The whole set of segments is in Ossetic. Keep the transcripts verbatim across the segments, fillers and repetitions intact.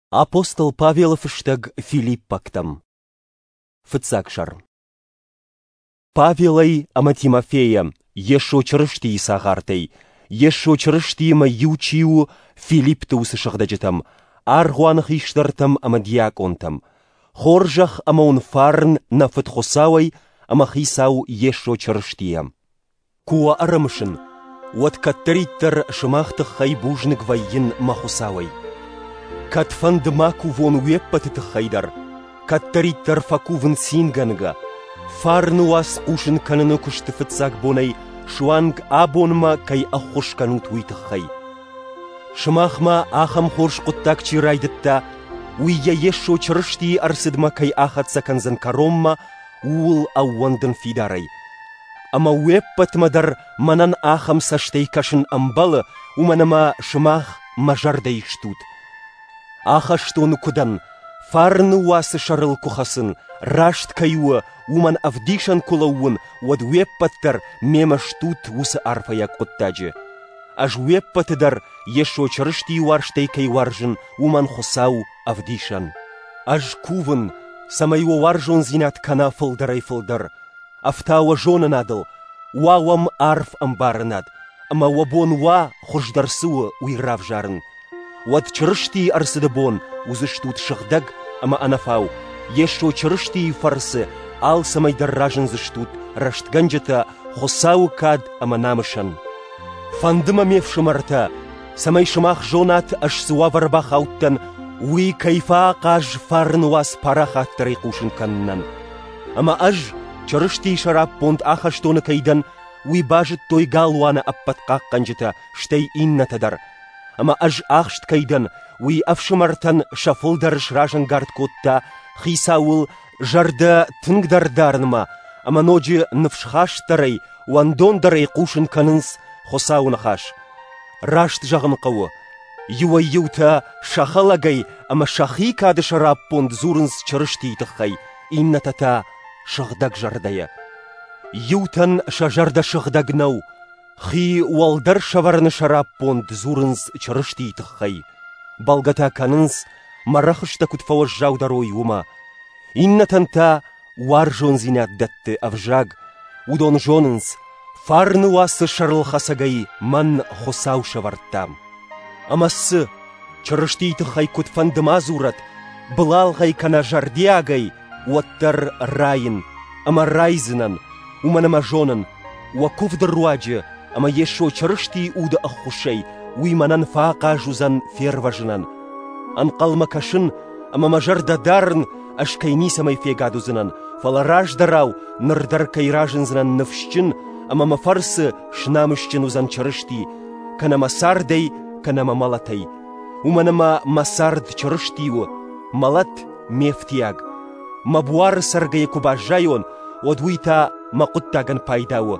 Апостол Павелы фыстӕг Филиппӕгтӕм. Фыццаг сӕр. Павелӕй ӕмӕ Тимофейӕ, Йесо Чырыстийы цагъартӕй, Йесо Чырыстиимӕ иу чи у, Филиппты уыцы сыгъдӕджытӕм, аргъуаны хистӕртӕм ӕмӕ диакъонтӕм. Хорзӕх ӕмӕ уын фарн нӕ Фыд Хуыцауӕй ӕмӕ Хицау Йесо Чырыстийӕ. Куы уӕ ӕрымысын, уӕд кӕддӕриддӕр сымах тыххӕй бузныг вӕййын мӕ Хуыцауӕй. Кӕдфӕнды ма кувон уе ппӕты тыххӕй дӕр, кӕддӕриддӕр фӕкувын цингӕнгӕ, фарны уац хъусын кӕныны куысты фыццаг бонӕй суанг абонмӕ кӕй ӕххуыс кӕнут, уый тыххӕй. Сымахмӕ ахӕм хорз хъуыддаг чи райдыдта, уый йӕ Йесо Чырыстийы ӕрцыдмӕ кӕй ахӕццӕ кӕндзӕн кӕронмӕ, ууыл ӕууӕндын фидарӕй. Ӕмӕ уе ппӕтмӕ дӕр мӕнӕн ахӕм цӕстӕй кӕсын ӕмбӕлы, уымӕн ӕмӕ сымах мӕ зӕрдӕйы стут. Ахӕстоны куы дӕн, фарны уацы сӕрыл куы хӕцын, раст кӕй у, уымӕн ӕвдисӕн куы лӕууын, уӕд уе ппӕт дӕр мемӕ стут уыцы арфӕйаг хъуыддаджы. Ӕз уе ппӕты дӕр Йесо Чырыстийы уарзтӕй кӕй уарзын, уымӕн Хуыцау ӕвдисӕн. Ӕз кувын, цӕмӕй уӕ уарзондзинад кӕна фылдӕрӕй-фылдӕр, ӕфта уӕ зонынадыл, уа уӕм арф ӕмбарынад, ӕмӕ уӕ бон уа, хуыздӕр цы у, уый равзарын. Уӕд Чырыстийы ӕрцыды бон уыдзыстут сыгъдӕг ӕмӕ ӕнӕфау, Йесо Чырыстийы фӕрцы алцӕмӕй дӕр разындзыстут рӕстгӕнджытӕ Хуыцауы кад ӕмӕ намысӕн. Фӕнды мӕ, ме фсымӕртӕ, цӕмӕй сымах зонат, ӕз цы уавӕры бахаудтӕн, уый кӕй фӕахъаз фарны уац парахатдӕрӕй хъусын кӕнынӕн. Ӕмӕ ӕз Чырыстийы сӕраппонд ахӕстоны кӕй дӕн, уый базыдтой галуаны ӕппӕт хъахъхъӕнджытӕ, стӕй иннӕтӕ дӕр. Ӕмӕ ӕз ахст кӕй дӕн, уый ӕфсымӕртӕн сӕ фылдӕр сразӕнгард кодта Хицауыл зӕрдӕ тынгдӕр дарынмӕ ӕмӕ ноджы ныфсхастдӕрӕй, уӕндондӕрӕй хъусын кӕнынц Хуыцауы ныхас. Раст зӕгъын хъӕуы, иуӕй-иутӕ сӕ хӕлӕгӕй ӕмӕ сӕхи кады сӕраппонд дзурынц Чырыстийы тыххӕй, иннӕтӕ та сыгъдӕг зӕрдӕйӕ. Иутӕн сӕ зӕрдӕ сыгъдӕг нӕу, хи уӕлдӕр сӕвӕрыны сӕраппонд дзурынц Чырыстийы тыххӕй. Бӕлгӕ та кӕнынц, мӕ рӕхыстӕ куыд фӕуӕззаудӕр уой, уымӕ. Иннӕтӕн та уарзондзинад дӕтты ӕвзаг. Уыдон зонынц, фарны уацы сӕрылхӕцӕгӕй мӕн Хуыцау сӕвӕрдта. Ӕмӕ цы, Чырыстийы тыххӕй куыдфӕнды ма дзурӕд, былалгъӕй кӕнӕ зӕрдиагӕй, уӕддӕр райын ӕмӕ райдзынӕн, уымӕн ӕмӕ зонын, уӕ куывды руаджы ӕмӕ Йесо Чырыстийы уды ӕххуысӕй уый мӕнӕн фӕахъаз уыдзӕн фервӕзынӕн. Ӕнхъӕлмӕ кӕсын ӕмӕ мӕ зӕрдӕ дарын, ӕз кӕй ницӕмӕй фегад уыдзынӕн, фӕлӕ раздӕрау ныр дӕр кӕй разындзынӕн ныфсджын ӕмӕ мӕ фӕрцы снамысджын уыдзӕн Чырысти, кӕнӕ мӕ цардӕй, кӕнӕ мӕ мӕлӕтӕй. Уымӕн ӕмӕ мӕ цард Чырысти у, мӕлӕт ме фтиаг. Мӕ буары цӕргӕйӕ куы баззайон, уӕд уый та мӕ хъуыддагӕн пайда у.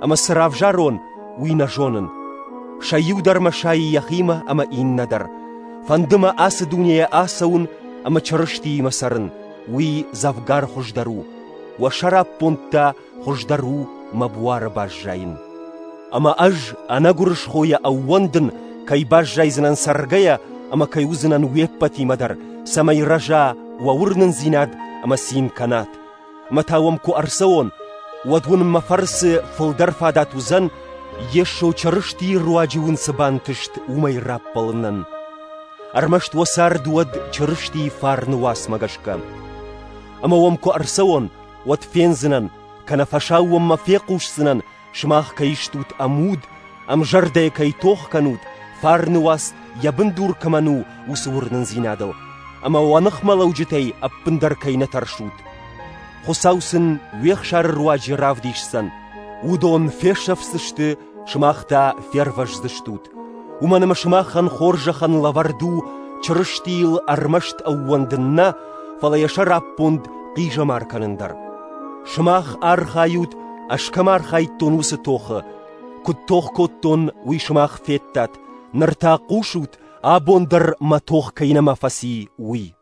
Ӕмӕ цы равзарон, уый нӕ зонын. Сӕ иу дӕр мӕ сайы йӕхимӕ ӕмӕ иннӕ дӕр. Фӕнды мӕ ацы дунейӕ ацӕуын ӕмӕ Чырыстиимӕ цӕрын, уый дзӕвгар хуыздӕр у. Уӕ сӕраппонд та хуыздӕр у мӕ буары баззайын. Ӕмӕ ӕз ӕнӕгуырысхойӕ ӕууӕндын, кӕй баззайдзынӕн цӕргӕйӕ ӕмӕ кӕй уыдзынӕн уе ппӕтимӕ дӕр, цӕмӕй рӕза уӕ уырнындзинад ӕмӕ цин кӕнат. Ӕмӕ та уӕм куы ӕрцӕуон, уӕд уын мӕ фӕрцы фылдӕр фадат уыдзӕн, Йесо Чырыстийы руаджы уын цы бантыст, уымӕй раппӕлынӕн. Ӕрмӕст уӕ цард уӕд Чырыстийы фарны уацмӕ гӕсгӕ. Ӕмӕ уӕм куы ӕрцӕуон, уӕд фендзынӕн, кӕнӕ фӕсаууонмӕ фехъусдзынӕн, сымах кӕй стут ӕмуд, ӕмзӕрдӕйӕ кӕй тох кӕнут, фарны уац йӕ бындур кӕмӕн у, уыцы уырнындзинадыл, ӕмӕ уӕ ныхмӕлӕуджытӕй ӕппындӕр кӕй нӕ тӕрсут. Хуыцау сын уе хсары руаджы равдисдзӕн, уыдон фесӕфдзысты, сымах та фервӕздзыстут. Уымӕн ӕмӕ сымахӕн хорзӕхӕн лӕвӕрд у Чырыстийыл ӕрмӕст ӕууӕндын нӕ, фӕлӕ йӕ сӕраппонд хъизӕмар кӕнын дӕр. Сымах архайут, ӕз кӕм архайдтон, уыцы тохы. Куыд тох кодтон, уый сымах федтат, ныр та хъусут, абон дӕр мӕ тох кӕй нӕма фӕци, уый.